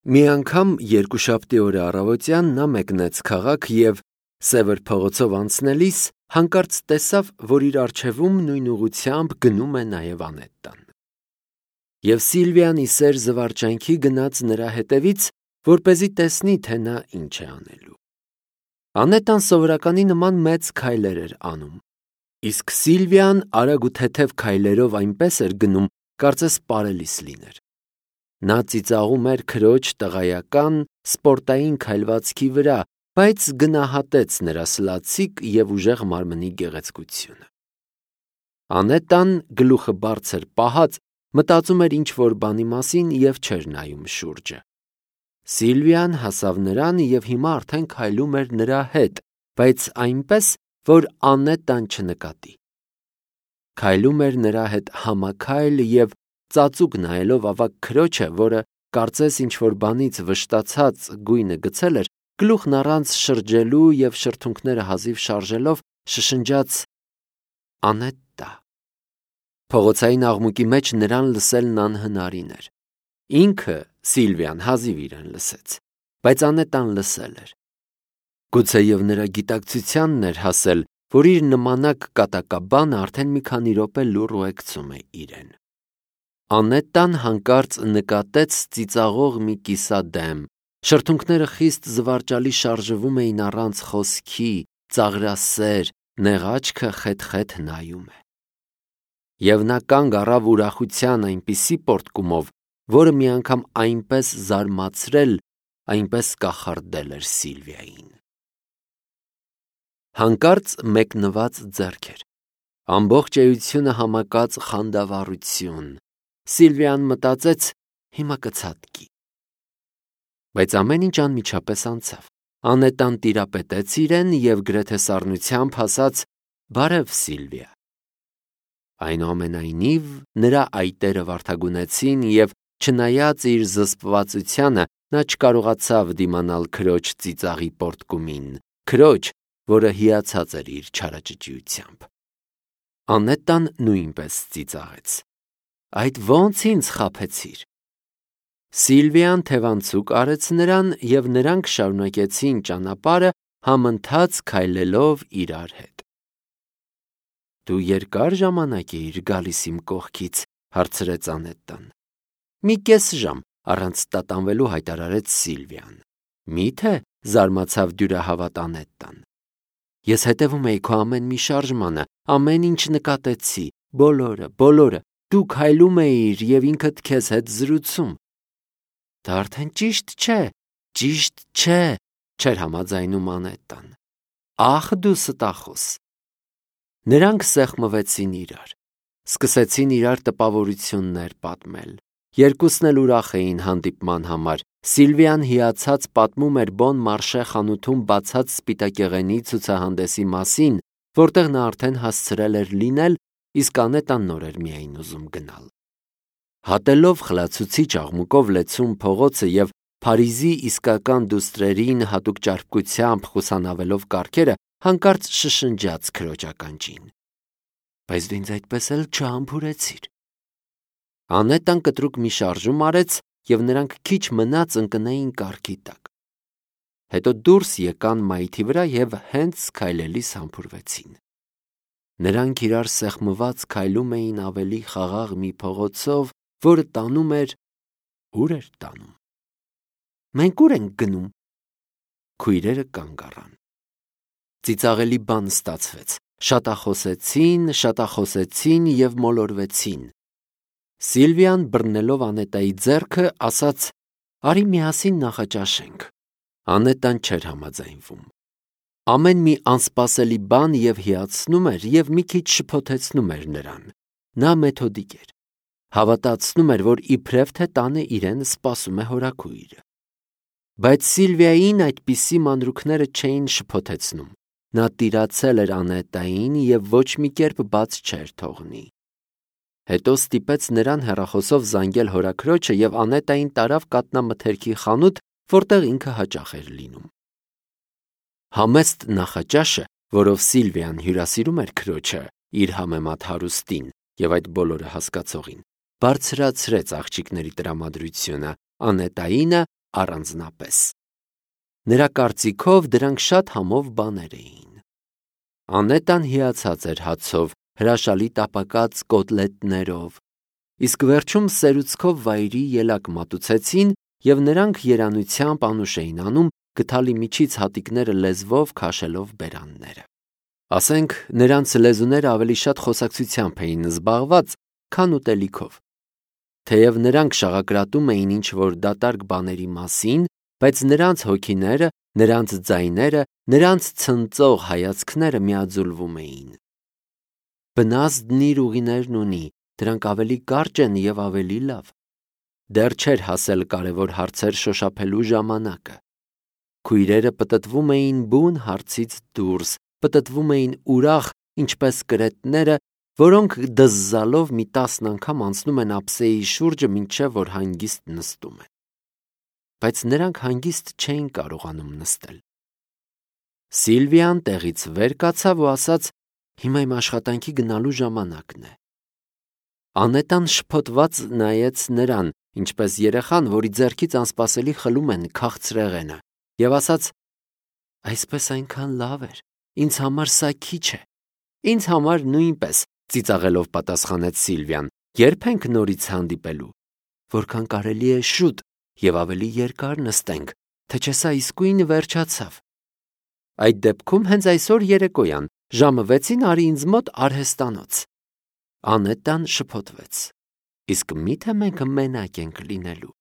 Մի անգամ երկուշաբթի օրը առավոտյան նա մեկնեց քաղաք և Սևր փողոցով անցնելիս հանկարծ տեսավ, որ իր առջևում նույն ուղղությամբ գնում է նաև Անետտան։ Եվ Սիլվիան ի սեր զվարճանքի գնաց նրա հետևից, որպեսզի տեսնի, թե նա ինչ է անելու։ Անետտան սովորականի նման մեծ քայլեր էր անում, իսկ Սիլվիան արագ ու թեթև քայլերով այնպես էր գնում, կարծես պարելիս լիներ։ Նա ծիծաղում էր քրոջ տղայական, սպորտային քայլվածքի վրա, բայց գնահատեց նրա սլացիկ և ուժեղ մարմնի գեղեցկությունը։ Անետտան գլուխը բարձր պահած մտածում էր ինչ-որ բանի մասին և չէր նայում շուրջը։ Սիլվիան հասավ նրան և հիմա արդեն քայլում էր նրա հետ, բայց այնպես, որ Անետտան չնկատի։ Քայլում էր նրա հետ համաքայլ և ծածուկ նայելով ավագ քրոջը, որը կարծես ինչ-որ բանից վշտացած գույնը գցել էր, գլուխն առանց շրջելու և շրթունքները հազիվ շարժելով շշնջաց. «Անետտա»։ Փողոցային աղմուկի մեջ նրան լսելն անհնարին էր։ Ինքը Սիլվիան հազիվ իրեն լսեց, բայց Անետտան լսել էր։ Գուցեև նրա գիտակցությանն էր հասել, որ իր նմանակ կատակաբանը արդեն մի քանի րոպե լուռ ուղեկցում է իրեն։ Անետտան հանկարծ նկատեց ծիծաղող մի կիսադեմ, շրթունքները խիստ զվարճալի շարժվում էին առանց խոսքի, ծաղրասեր, նեղ աչքը խեթ-խեթ նայում է։ Եվ նա կանգ առավ ուրախության այնպիսի պոռթկումով, որը մի անգամ այնպես զարմացրել, այնպես կախարդել էր Սիլվիային։ Հանկարծ մեկնված ձեռքեր, ամբողջ էությունը համակած խանդավառություն։ Սիլվիան մտածեց. հիմա կցատկի։ Բայց ամեն ինչ անմիջապես անցավ։ Անետտան տիրապետեց իրեն և գրեթե սառնությամբ ասաց. «Բարև, Սիլվիա»։ Այնուամենայնիվ, նրա այտերը վարդագունեցին և, չնայած իր զսպվածությանը, նա չկարողացավ դիմանալ քրոջ ծիծաղի պոռթկումին, քրոջ, որը հիացած էր իր չարաճճիությամբ։ Անետտան նույնպես ծիծաղեց. «Այդ ո՞նց ինձ խաբեցիր»։ Սիլվիան թևանցուկ արեց նրան, և նրանք շարունակեցին ճանապարհը համընթաց քայլելով իրար հետ։ «Դու երկա՞ր ժամանակ էիր գալիս իմ կողքից», հարցրեց Անետտան։ «Մի կես ժամ», առանց տատանվելու հայտարարեց Սիլվիան։ «Մի՞թե», զարմացավ դյուրահավատ Անետտան։ «Ես հետևում էի քո ամեն մի շարժմանը, ամեն ինչ նկատեցի, բոլորը, դու քայլում էիր և ինքդ քեզ հետ զրուցում»։ «Դա արդեն ճիշտ չէ», չէր համաձայնում Անետտան։ «Ախ, դու ստախոս»։ Նրանք սեղմվեցին իրար, սկսեցին իրար տպավորություններ պատմել։ Երկուսն էլ ուրախ էին հանդիպման համար։ Սիլվիան հիացած պատմում էր Բոն Մարշե խանութում բացած սպիտակեղենի ցուցահանդեսի մասին, որտեղ նա արդեն հասցրել էր լինել, իսկ Անետտան նոր էր միայն ուզում գնալ։ Հատելով խլացուցիչ աղմուկով լեցուն փողոցը և Փարիզի իսկական դուստրերին հատուկ ճարպկությամբ խուսանավելով կառքերը, հանկարծ շշնջաց քրոջ ականջին. «Բայց դու ինձ այդպես էլ չհամբուրեցիր»։ Անետտան կտրուկ մի շարժում արեց, և նրանք քիչ մնաց ընկնեին կառքի տակ։ Հետո դուրս եկան մայթի վրա և հենց քայլելիս համբուրվեցին։ Նրանք իրար սեղմված քայլում էին ավելի խաղաղ մի փողոցով, որը տանում էր… Ո՞ւր էր տանում։ «Մենք ո՞ւր ենք գնում»։ Քույրերը կանգ առան։ Ծիծաղելի բան ստացվեց։ Շատախոսեցին և մոլորվեցին։ Սիլվիան, բռնելով Անետտայի ձեռքը, ասաց. «Արի միասին նախաճաշենք»։ Անետտան չէր համաձայնվում։ Ամեն մի անսպասելի բան և հիացնում էր, և մի քիչ շփոթեցնում էր նրան։ Նա մեթոդիկ էր։ Հավատացնում էր, որ իբրև թե տանը իրեն սպասում է հորաքույրը։ Բայց Սիլվիային այդպիսի մանրուքները չէին շփոթեցնում։ Նա տիրացել էր Անետտային և ոչ մի կերպ բաց չէր թողնի։ Հետո ստիպեց նրան հեռախոսով զանգել հորաքրոջը և Անետտային տարավ կաթնամթերքի խանութ, որտեղ ինքը հաճախ էր լինում։ Համեստ նախաճաշը, որով Սիլվիան հյուրասիրում էր քրոջը, իր համեմատ հարուստին և այդ բոլորը հասկացողին, բարձրացրեց աղջիկների տրամադրությունը։ Անետտայինը առանձնապես։ Նրա կարծիքով դրանք շատ համով բաներ էին։ Անետան հիացած էր հացով, հրաշալի տապակած կոտլետներով, իսկ վերջում սերուցքով վայրի ելակ մատուցեցին և նրանք երանությամբ անուշ էին անում, գդալի միջից հատիկները լեզվով քաշելով բերանները։ Ասենք, նրանց լեզուները ավելի շատ խոսակցությամբ էին զբաղված, քան ուտելիքով։ Թեև նրանք շաղակրատում էին ինչ-որ դատարկ բաների մասին, բայց նրանց հոգիները, նրանց ձայները, նրանց ցնծող հայացքները միաձուլվում էին։ Բնազդն իր ուղիներն ունի, դրանք ավելի կարճ են և ավելի լավ։ Դեռ չէր հասել կարևոր հարցեր շոշափելու ժամանակը։ Քույրերը պտտվում էին բուն հարցից դուրս, պտտվում էին ուրախ, ինչպես կրետները, որոնք դզզալով մի 10 անգամ անցնում են ափսեի շուրջը, մինչև որ հանգիստ նստում են։ Բայց նրանք հանգիստ չէին կարողանում նստել։ Սիլվիան տեղից վեր կացավ ու ասաց. «Հիմա իմ աշխատանքի գնալու ժամանակն է»։ Անետան շփոթված նայեց նրան, ինչպես երեխան, որի ձեռքից անսպասելի խլում են քաղցրեղենը, և ասաց. «Այսպես այնքան լավ էր, ինձ համար սա քիչ է»։ «Ինձ համար նույնպես», ծիծաղելով պատասխանեց Սիլվիան։ «Երբ ենք նորից հանդիպելու»։ «Որքան կարելի է շուտ և ավելի երկար նստենք, թե չէ սա իսկույն վերջացավ»։ «Այդ դեպքում հենց այսօր երեկոյան, ժամը 6-ին արի ինձ մոտ արհեստանոց»։ Անետան շփոթվեց։ Իսկ մի՞թե մենք մենակ ենք լինելու։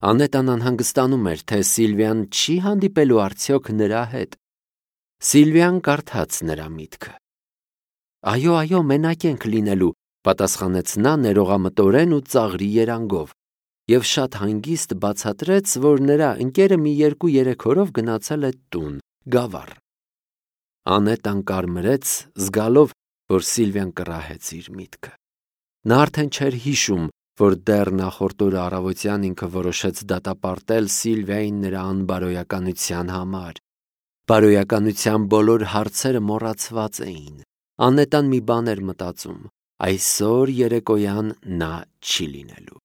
Անետան անհանգստանում էր, թե Սիլվիան չի հանդիպելու արդյոք նրա հետ։ Սիլվիան կարդաց նրա միտքը։ «Այո, մենակ ենք լինելու», պատասխանեց նա ներողամտորեն ու ծաղրի երանգով, և շատ հանգիստ բացատրեց, որ նրա ընկերը մի 2-3 օրով գնացել է տուն, գավառ։ Անետան կարմրեց, զգալով, որ Սիլվիան կռահեց իր միտքը։ Նա արդեն չէր հիշում, որ դեռ նախորդ օրը առավոտյան ինքը որոշեց դատապարտել Սիլվիային նրա անբարոյականության համար։ Բարոյականության բոլոր հարցերը մոռացված էին։ Անետան մի բան էր մտածում. այսօր երեկոյան նա չի լինելու։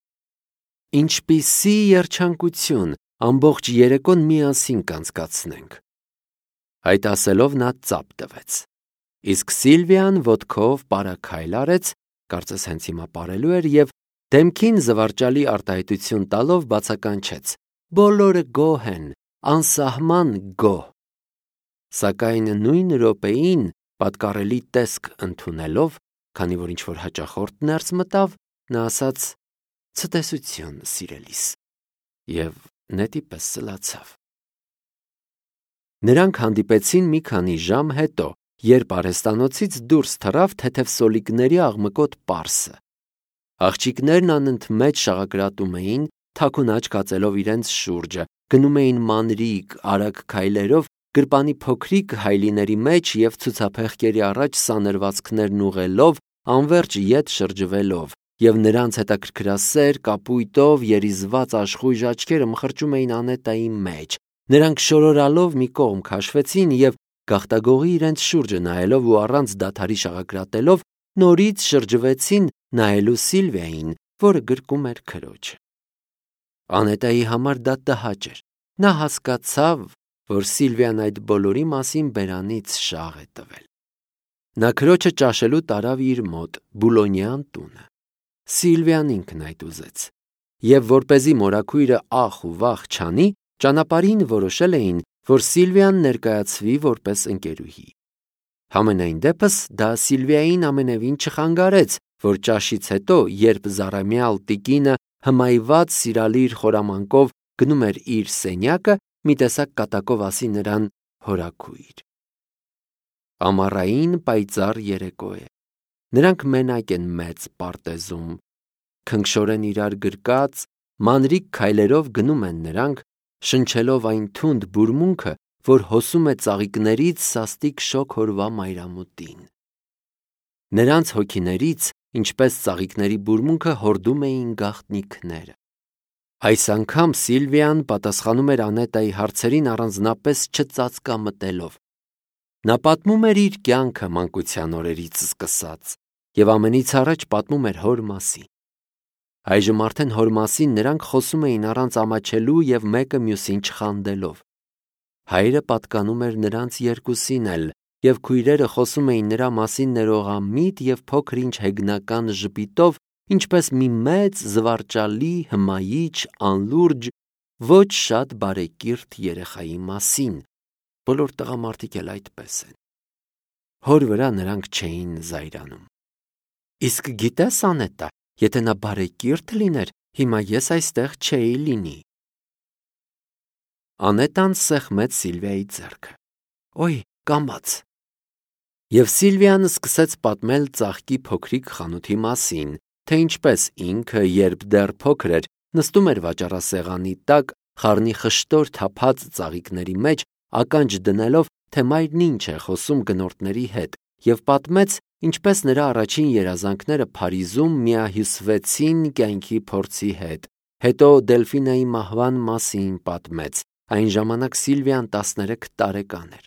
Ինչպիսի երջանկություն, ամբողջ երեկոն միասին կանցկացնենք։ Այդ ասելով նա ծափ տվեց։ Իսկ Սիլվիան ոտքով պարաքայլ արեց, կարծես հենց հիմա պարելու էր, և դեմքին զվարճալի արտահայտություն տալով բացականչեց. «Բոլորը գոհ են, անսահման գոհ»։ Սակայն նույն րոպեին, պատկառելի տեսք ընդունելով, քանի որ ինչ-որ հաճախորդ ներս մտավ, նա ասաց. «Ցտեսություն, սիրելիս», և նետի պես սլացավ։ Նրանք հանդիպեցին մի քանի ժամ հետո, երբ արհեստանոցից դուրս թռավ թեթև սոլիկների աղմկոտ պարսը։ Աղջիկներն անընդմեջ շաղակրատում էին, թաքուն աչք հացելով իրենց շուրջը, գնում էին մանրիկ, արագ քայլերով գրպանի փոքրիկ հայլիների մեջ և ցուցափեղկերի առաջ սանրվածքներն ուղղելով, անվերջ ետ շրջվելով, և նրանց հետաքրքրասեր կապույտով երիզված աշխույժ աչքերը մխրճում էին Անետայի մեջ։ Նրանք շորորալով մի կողմ քաշվեցին և, գաղտագողի իրենց շուրջը նայելով ու առանց դադարի շաղակրատելով, նորից շրջվեցին նայելու Սիլվիային, որը գրկում էր քրոջը։ Անետայի համար դա տհաճ էր։ Նա հասկացավ, որ Սիլվիան այդ բոլորի մասին բերանից շաղ է տվել։ Նա քրոջը ճաշելու տարավ իր մոտ, Բուլոնյան տունը։ Սիլվիան ինքն այդ ուզեց։ Եվ որպեսզի մորաքույրը ախ ու վախ չանի, ճանապարհին որոշել էին, որ Սիլվիան ներկայացվի որպես ընկերուհի։ Համենայն դեպս դա Սիլվիային ամենևին չխանգարեց, որ ճաշից հետո, երբ զառամյալ տիկինը հմայված սիրալիր խորամանկով գնում էր իր սենյակը, մի տեսակ կատակով ասի նրան հորաքույր։ Ամառային պայծառ երեկո է։ Նրանք մենակ են մեծ պարտեզում։ Քնքշորեն իրար գրկած, մանրիկ քայլերով գնում են նրանք, շնչելով այն թունդ բուրմունքը, որ հոսում է ծաղիկներից սաստիկ շոգ օրվա մայրամուտին։ Նրանց հոգիներից, ինչպես ծաղիկների բուրմունքը, հորդում էին գաղտնիքները։ Այս անգամ Սիլվիան պատասխանում էր Անետայի հարցերին առանձնապես չծածկամտելով։ Նա պատմում էր իր կյանքը մանկության օրերից սկսած, և ամենից առաջ պատմում էր հոր մասին։ Այժմ արդեն հոր մասին նրանք խոսում էին առանց ամաչելու և մեկը մյուսին չխանդելով։ Հայրը պատկանում էր նրանց երկուսին էլ, և քույրերը խոսում էին նրա մասին ներողամիտ և փոքր-ինչ հեգնական ժպիտով, ինչպես մի մեծ, զվարճալի, հմայիչ, անլուրջ, ոչ շատ բարեկիրթ երեխայի մասին։ Բոլոր տղամարդիկ էլ այդպես են։ Հոր վրա նրանք չէին զայրանում։ Իսկ գիտես, Անետա, եթե նա բարեկիրթ լիներ, հիմա ես այստեղ չէի լինի։ Անետան սեղմեց Սիլվիայի ձեռքը։ Ոյ, կամաց։ Եվ Սիլվիան սկսեց պատմել ծաղկի փոքրիկ խանութի մասին, թե ինչպես ինքը, երբ դեռ փոքր էր, նստում էր վաճառասեղանի տակ, խառնի խշտոր թափած ծաղիկների մեջ, ականջ դնելով, թե մայրն ինչ է խոսում գնորդների հետ, և պատմեց, ինչպես նրա առաջին երազանքները Փարիզում միահյուսվեցին կյանքի փորձի հետ։ Հետո Դելֆինայի մահվան մասին պատմեց։ Այն ժամանակ Սիլվիան 13 տարեկան էր։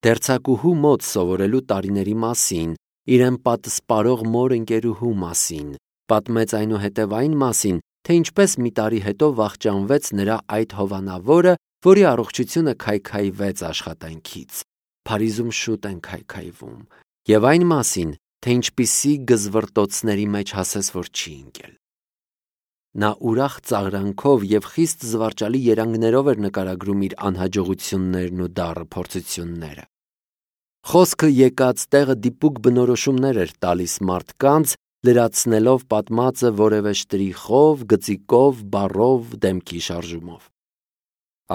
Դերձակուհու մոտ սովորելու տարիների մասին, իրեն պատսպարող մոր ընկերուհու մասին, պատմեց այնուհետև այն մասին, թե ինչպես մի տարի հետո վախճանվեց նրա այդ հովանավորը, որի առողջությունը քայքայվեց աշխատանքից։ Փարիզում շուտ են քայքայվում, և այն մասին, թե ինչպիսի գզվռտոցների մեջ հասես, որ չի ընկել։ Նա ուրախ ծաղրանքով և խիստ զվարճալի երանգներով էր նկարագրում իր անհաջողություններն ու դառը փորձությունները։ Խոսքը եկած տեղը դիպուկ բնորոշումներ էր տալիս մարդկանց, լրացնելով պատմածը որևէ շտրիխով, գծիկով, բառով, դեմքի շարժումով։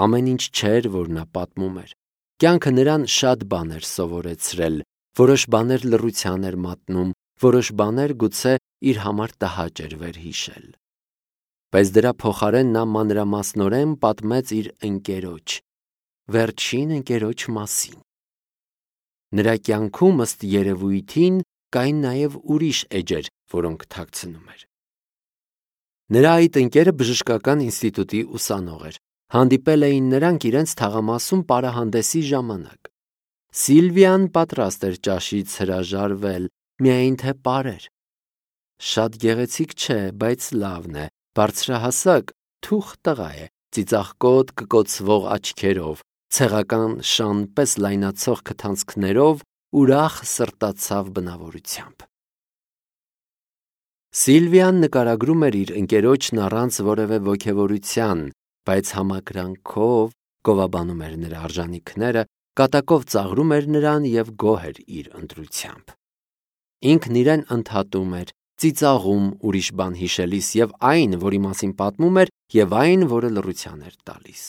Ամեն ինչ չէր, որ նա պատմում էր։ Կյանքը նրան շատ բաներ սովորեցրել, որոշ բաներ լռության էր մատնում, որոշ բաներ գուցե իր համար տհաճ էր վերհիշել։ Բայց դրա փոխարեն նա մանրամասնորեն պատմեց իր ընկերոջ, վերջին ընկերոջ մասին։ Նրա կյանքում, ըստ երևույթին, կային նաև ուրիշ էջեր, որոնք թաքցնում էր։ Նրա այդ ընկերը բժշկական ինստիտուտի ուսանող էր։ Հանդիպել էին նրանք իրենց թաղամասում պարահանդեսի ժամանակ։ Սիլվիան պատրաստ էր ճաշից հրաժարվել, միայն թե պարեր։ Շատ գեղեցիկ չէ, բայց լավն է, բարձրահասակ, թուխ տղա է, ծիծաղկոտ կկոցվող աչքերով, ցեղական շան պես լայնացող քթանցքներով, ուրախ սրտացավ բնավորությամբ։ Սիլվիան նկարագրում էր իր ընկերոջն առանց որևէ ոգևորության, բայց համակրանքով գովաբանում էր նրա արժանինքները, կատակով ծաղրում էր նրան և գոհ էր իր ընտրությամբ։ Ինքն իրեն ընդհատում էր, ծիծաղում ուրիշ բան հիշելիս և այն, որի մասին պատմում էր, և այն, որը լռության էր տալիս։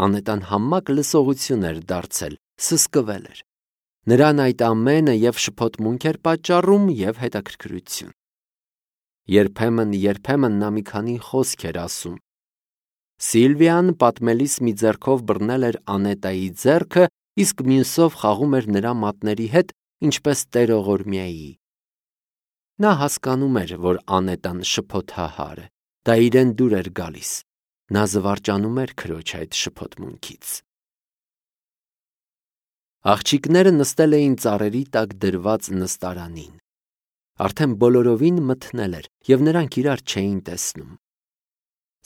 Անետան համակ լսողություն էր դարձել, սսկվել էր։ Նրան այդ ամենը և շփոթմունք էր պատճառում, և հետաքրքրություն։ Երբեմն նա մի քանի խոսք էր ասում։ Սիլվիան պատմելիս մի ձեռքով բռնել էր Անետայի ձեռքը, իսկ մյուսով խաղում էր նրա մատների հետ, ինչպես տերողորմյայի։ Նա հասկանում էր, որ Անետան շփոթահար է, դա իրեն դուր էր գալիս։ Նա զվարճանում էր քրոջ այդ շփոթմունքից։ Աղջիկները նստել էին ծառերի տակ դրված նստարանին։ Արդեն բոլորովին մթնել էր, և նրանք իրար չէին տեսնում։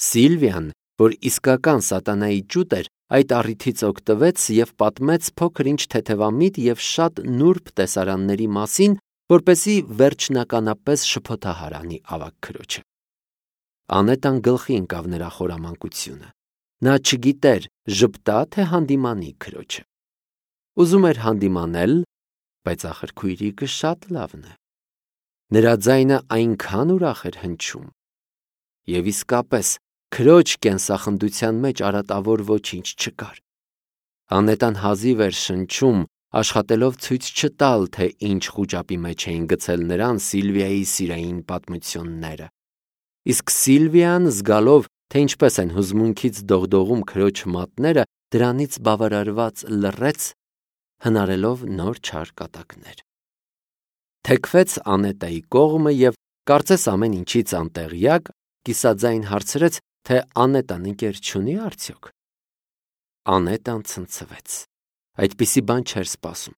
Սիլվիան, որ իսկական սատանայի ճուտ էր, այդ առիթից օգտվեց և պատմեց փոքր-ինչ թեթևամիտ և շատ նուրբ տեսարանների մասին, որպեսզի վերջնականապես շփոթահար անի ավագ քրոջը։ Անետան գլխի ընկավ նրա խորամանկությունը։ Նա չգիտեր ժպտա թե հանդիմանի քրոջը։ Ուզում էր հանդիմանել, բայց ախր քույրիկը շատ լավն է։ Նրա ձայնը այնքան ուրախ էր հնչում։ Եվ իսկապես, քրոջ կենսախնդության մեջ արատավոր ոչինչ չկար։ Անետան հազիվ էր շնչում, աշխատելով ցույց չտալ, թե ինչ խուճապի մեջ էին գցել նրան Սիլվիայի սիրային պատմությունները։ Իսկ Սիլվիան, զգալով, թե ինչպես են հուզմունքից դողդողում քրոջ մատները, դրանից բավարարված լռեց, հնարելով նոր չար կատակներ։ Թեքվեց Անետայի կողմը և, կարծես ամեն ինչից անտեղյակ, կիսաձայն հարցրեց, թե Անետան ընկեր չունի՞ արդյոք։ Անետան ցնցվեց։ Այդպիսի բան չէր սպասում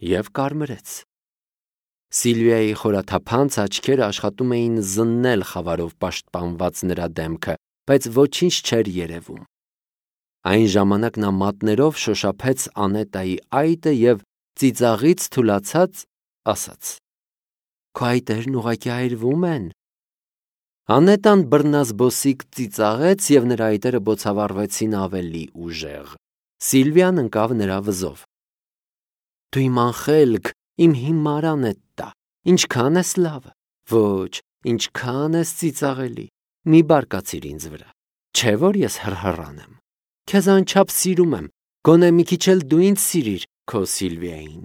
և կարմրեց։ Սիլվիայի խորաթափանց աչքերը աշխատում էին զննել խավարով պաշտպանված նրա դեմքը, բայց ոչինչ չէր երևում։ Այն ժամանակ նա մատներով շոշափեց Անետայի այտը և ծիծաղից թուլացած ասաց. «Քո այտերն ուղղակի այրվում են»։ Անետան բռնազբոսիկ ծիծաղեց և նրա այտերը բոցավառվեցին ավելի ուժեղ։ Սիլվիան ընկավ նրա վզով։ «Դու իմ անխելք, իմ հիմար Անետտա, ինչքան ես լավ, ոչ, ինչքան ես ծիծաղելի, մի բարկացիր ինձ վրա, չէ՞ որ ես հռհռան եմ, քեզ անչափ սիրում եմ, գոնե մի քիչ էլ դու ինձ սիրիր քո Սիլվիային։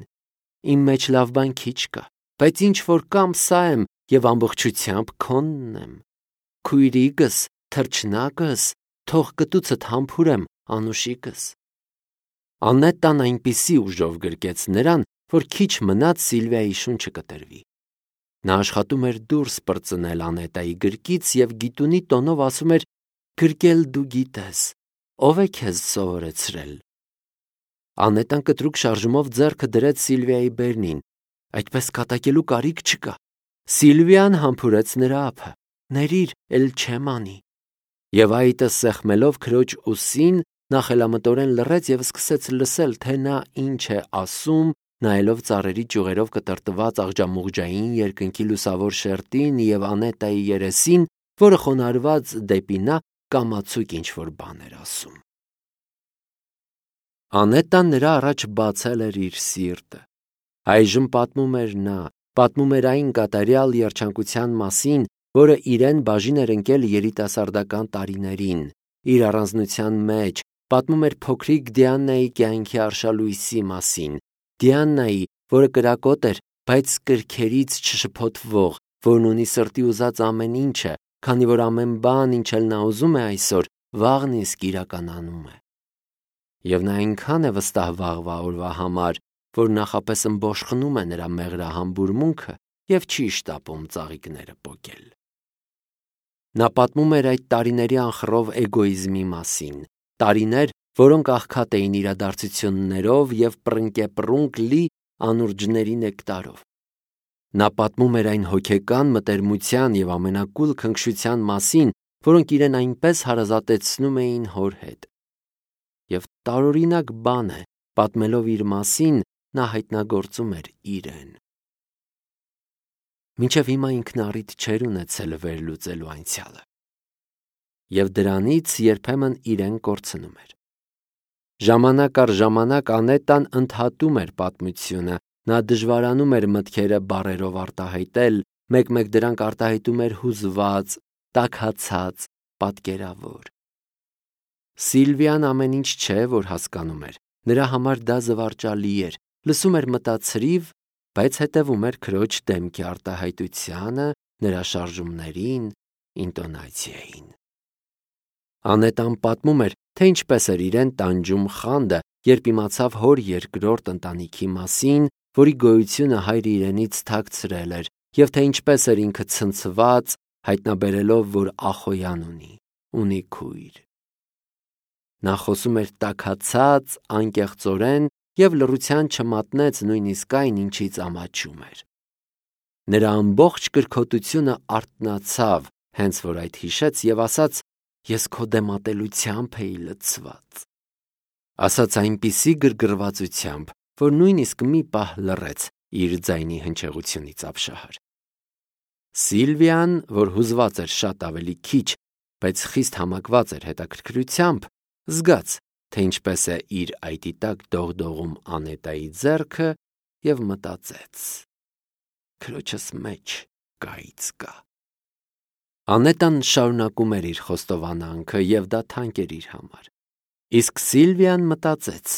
Իմ մեջ լավ բան քիչ կա, բայց ինչ որ կամ սա եմ և ամբողջությամբ քոնն եմ։ Քույրիկս, թռչնակս, թող կտուցդ համբուրեմ, անուշիկս»։ Անետտան այնպիսի ուժով գրկեց նրան, որ քիչ մնաց Սիլվիայի շունչը կտրվի։ Նա աշխատում էր դուրս պրծնել Անետայի գրկից և գիտունի տոնով ասում էր. «Գրկել դու գիտես, ով է քեզ սովորեցրել»։ Անետան կտրուկ շարժումով ձեռքը դրեց Սիլվիայի բերնին։ Այդպես կատակելու կարիք չկա։ Սիլվիան համբուրեց նրա ափը։ «Ներիր, էլ չեմ անի»։ Եվ այտը սեղմելով քրոջ ուսին, նա խելամտորեն լռեց և սկսեց լսել, թե նա ինչ է ասում, նայելով ծառերի ճյուղերով կտրտված աղջամուղջային երկնքի լուսավոր շերտին և Անետայի երեսին, որը խոնարհված դեպի նա կամացուկ ինչ-որ բան էր ասում։ Անետան նրա առաջ բացել էր իր սիրտը։ Այժմ պատմում էր նա, պատմում էր այն կատարյալ երջանկության մասին, որը իրեն բաժին էր ընկել երիտասարդական տարիներին, իր առանձնության մեջ, պատմում էր փոքրիկ Դիանայի կյանքի արշալույսի մասին, Դիանայի, որը կրակոտ էր, բայց կրքերից չշփոթվող, որն ունի սրտի ուզած ամեն ինչը, քանի որ ամեն բան, ինչ էլ նա ուզում է այսօր, վաղն իսկ իրականանում է։ Եվ նա այնքան է վստահ վաղվա օրվա համար, որ նախապես ըմբոշխնում է նրա մեղրահամբուրմունքը և չի շտապում ծաղիկները պոկել։ Նա պատմում էր այդ տարիների անխռով էգոիզմի մասին, տարիներ, որոնք աղքատ էին իրադարձություններով և պռնկեպռունկ լի անուրջների նեկտարով։ Նա պատմում էր այն հոգեկան մտերմության և ամենակուլ քնքշության մասին, որոնք իրեն այնպես հարազատեցնում էին հոր հետ։ Եվ տարօրինակ բան է, պատմելով իր մասին, նա հայտնագործում էր իրեն։ Մինչև հիմա ինքն առիթ չէր ունեցել վերլուծելու անցյալը։ Եվ դրանից երբեմն իրեն կորցնում էր։ Ժամանակ առ ժամանակ Անետան ընդհատում էր պատմությունը, նա դժվարանում էր մտքերը բառերով արտահայտել, մեկ-մեկ դրանք արտահայտում էր հուզված, տաքացած, պատկերավոր։ Սիլվիան ամեն ինչ չէ, որ հասկանում էր, նրա համար դա զվարճալի էր, լսում էր մտածրիվ, բայց հետևում էր քրոջ դեմքի արտահայտությանը, նրա շարժումներին, ինտոնացիային։ Անետան պատմում էր, թե ինչպես էր իրեն տանջում խանդը, երբ իմացավ հոր երկրորդ ընտանիքի մասին, որի գոյությունը հայրը իրենից թաքցրել էր, և թե ինչպես էր ինքը ցնցված, հայտնաբերելով, որ Ախոյան ունի քույր։ Նա խոսում էր տաքացած, անկեղծորեն և լռության չմատնեց նույնիսկ այն, ինչից ամաչում էր։ Նրա ամբողջ կրքոտությունը արթնացավ, հենց որ այդ հիշեց և ասաց. «Ես քո դեմատելությամբ էի լցված»։ Ասաց այնպիսի գրգռվածությամբ, որ նույնիսկ մի պահ լռեց իր ձայնի հնչեղությունից ապշահար։ Սիլվիան, որ հուզված էր շատ ավելի քիչ, բայց խիստ համակված էր հետաքրքրությամբ, զգաց, թե ինչպես է իր այտի տակ դողդողում Անետայի ձեռքը և մտածեց. «Քրոջս մեջ գայծ կա»։ Անետան շարունակում էր իր խոստովանանքը և դա թանկ էր իր համար։ Իսկ Սիլվիան մտածեց.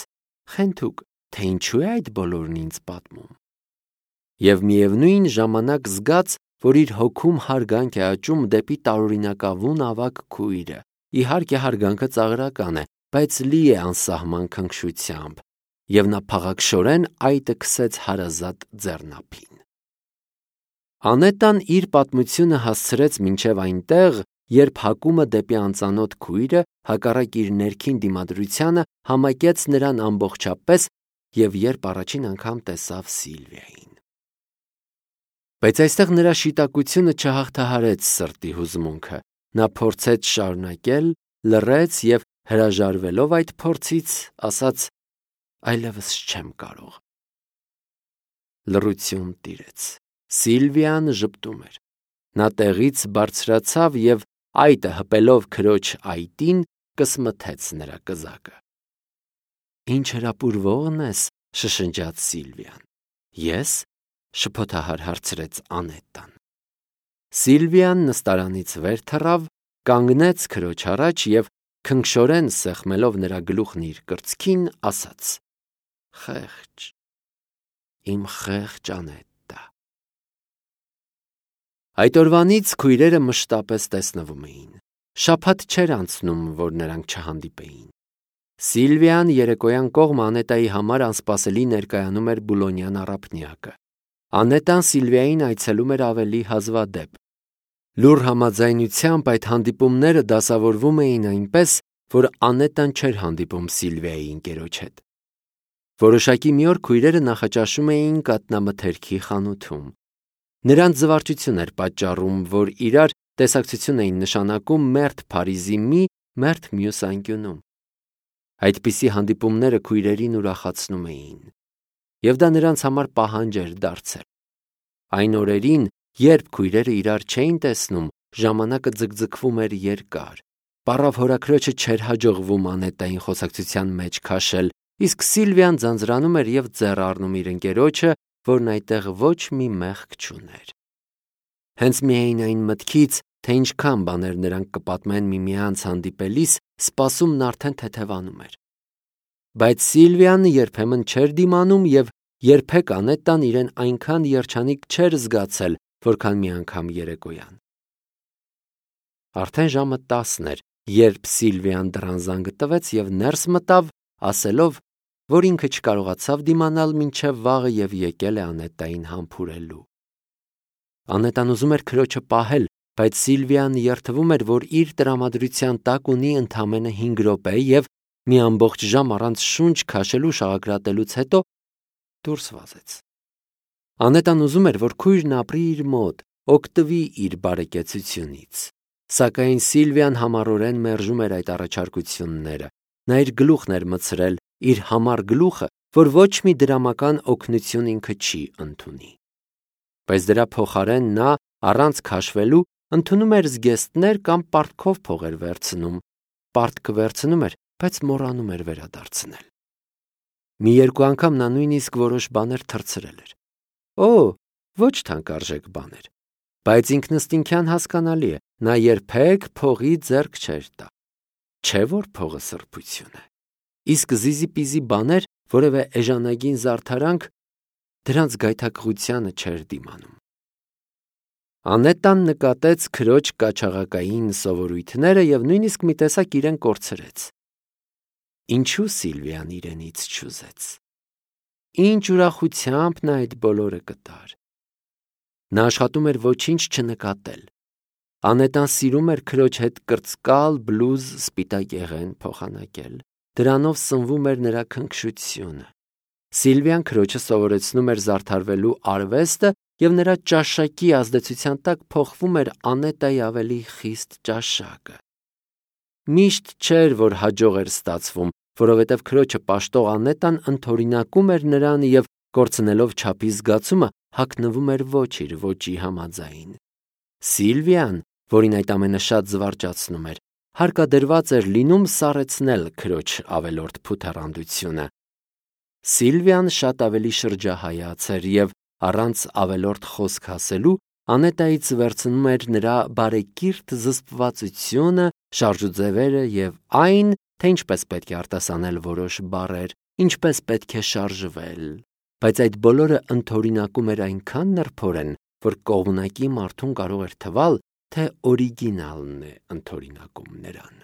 «Խենթուկ, թե ինչու է այդ բոլորն ինձ պատմում»։ Եվ միևնույն ժամանակ զգաց, որ իր հոգում հարգանք է աճում դեպի տարօրինակավուն ավագ քույրը։ Իհարկե հարգանքը ծաղրական է, բայց լի է անսահման քնքշությամբ, և նա փաղաքշորեն այտը քսեց հարազատ ձեռնափին։ Անետան իր պատմությունը հասցրեց մինչև այնտեղ, երբ հակումը դեպի անծանոթ քույրը, հակառակ իր ներքին դիմադրությանը, համակեց նրան ամբողջապես և երբ առաջին անգամ տեսավ Սիլվիային։ Բայց այստեղ նրա շիտակությունը չհաղթահարեց սրտի հուզմունքը։ Նա փորձեց շարունակել, լռեց և հրաժարվելով այդ փորձից, ասաց. «Այլևս չեմ կարող»։ Լռություն տիրեց։ Սիլվիան ժպտում էր։ Նա տեղից բարձրացավ և այտը հպելով քրոջ այտին կսմթեց նրա կզակը։ «Ինչ հրապուրվողն ես», շշնջաց Սիլվիան։ «Ես», շփոթահար հարցրեց Անետան։ Սիլվիան նստարանից վեր թռավ, կանգնեց քրոջ առաջ և քնքշորեն սեղմելով նրա գլուխն իր կրծքին, ասաց. «Խեղճ, իմ խեղճ Անետտա»։ Այդ օրվանից քույրերը մշտապես տեսնվում էին։ Շաբաթ չէր անցնում, որ նրանք չհանդիպեին։ Սիլվիան երեկոյան կողմ Անետայի համար անսպասելի ներկայանում էր Բուլոնյան առափնյակը։ Անետան Սիլվիային այցելում էր ավելի հազվադեպ։ Լուռ համաձայնությամբ այդ հանդիպումները դասավորվում էին այնպես, որ Անետան չէր հանդիպում Սիլվիայի ընկերոջ հետ։ Որոշակի մի օր քույրերը նախաճաշում էին կատնամթերքի խանութում։ Նրանց զվարճություն էր պատճառում, որ իրար տեսակցություն էին նշանակում մերթ Փարիզի մի, մերթ մյուս անկյունում։ Այդպիսի հանդիպումները քույրերին ուրախացնում էին, և դա նրանց համար պահանջ էր դարձել։ Այն օրերին, երբ քույրերը իրար չէին տեսնում, ժամանակը ձգձգվում էր երկար։ Պառավ հորաքրոջը չէր հաջողվում Անետային խոսակցության մեջ քաշել, իսկ Սիլվիան ձանձրանում էր և ձեռ առնում իր ընկերոջը, որն այդտեղ ոչ մի մեղք չուներ։ Հենց միայն այն մտքից, թե ինչքան բաներ նրանք կպատմեն միմյանց հանդիպելիս, սպասումն արդեն թեթևանում էր։ Բայց Սիլվիան երբեմն չէր դիմանում և երբեք Անետան իրեն այնքան երջանիկ չէր զգացել, որքան մի անգամ երեկոյան։ Արդեն ժամը 10 էր, երբ Սիլվիան դռան զանգը տվեց և ներս մտավ, ասելով, որ ինքը չկարողացավ դիմանալ մինչև վաղը և եկել է Անետային համբուրելու։ Անետան ուզում էր քրոջը պահել, բայց Սիլվիան երդվում էր, որ իր տրամադրության տակ ունի ընդամենը 5 րոպե և մի ամբողջ ժամ առանց շունչ քաշելու շաղակրատելուց հետո դուրս վազեց։ Անետան ուզում էր, որ քույրն ապրի իր մոտ, օգտվի իր բարեկեցությունից։ Սակայն Սիլվիան համառորեն մերժում էր այդ առաջարկությունները։ Նա իր գլուխն էր մտցրել, իր համառ գլուխը, որ ոչ մի դրամական օգնություն ինքը չի ընդունի։ Բայց դրա փոխարեն նա, առանց քաշվելու, ընդունում էր զգեստներ կամ պարտքով փող էր վերցնում։ Պարտքը վերցնում էր, բայց մոռանում էր վերադարձնել։ Մի երկու անգամ նա նույնիսկ որոշ բաներ թռցրել էր։ Ոչ թանկարժեք բաներ։ Բայց ինքնըստինքյան հասկանալի է, նա երբեք փողի ձեռք չէր տա։ Չէ՞ որ փողը սրբություն է։ Իսկ զիզիպիզի բաներ, որևէ էժանագին զարդարանք, դրանց գայթակղությանը չէր դիմանում։ Անետան նկատեց քրոջ կաչաղակային սովորույթները և նույնիսկ մի տեսակ իրեն կորցրեց։ Ինչու Սիլվիան իրենից չուզեց։ Ինչ ուրախությամբ նա այդ բոլորը կտար։ Նա աշխատում էր ոչինչ չնկատել։ Անետան սիրում էր քրոջ հետ կրծկալ, բլուզ, սպիտակ եղեն փոխանակել։ Դրանով սնվում էր նրա քնքշությունը։ Սիլվիան քրոջը սովորեցնում էր զարդարվելու արվեստը և նրա ճաշակի ազդեցության տակ փոխվում էր Անետայի ավելի խիստ ճաշակը։ Միշտ չէր, որ հաջող էր ստացվում, որովհետև քրոջը պաշտող Անետան ընդօրինակում էր նրան և, կորցնելով չափի զգացումը, հագնվում էր ոչ իր ոճի համաձայն։ Սիլվիան, որին այդ ամենը շատ զվարճացնում էր, հարկադրված էր լինում սառեցնել քրոջ ավելորդ փութեռանդությունը։ Սիլվիան շատ ավելի շրջահայաց էր և առանց ավելորդ խոսք ասելու Անետայից վերցնում էր նրա բարեկիրթ զսպվածությունը, շարժուձևերը և այն, թե ինչպես պետք է արտասանել որոշ բառեր, ինչպես պետք է շարժվել։ Բայց այդ բոլորը ընդօրինակում էր այնքան նրբորեն, որ կողմնակի մարդուն կարող էր թվալ, թե օրիգինալն է ընդօրինակում նրան։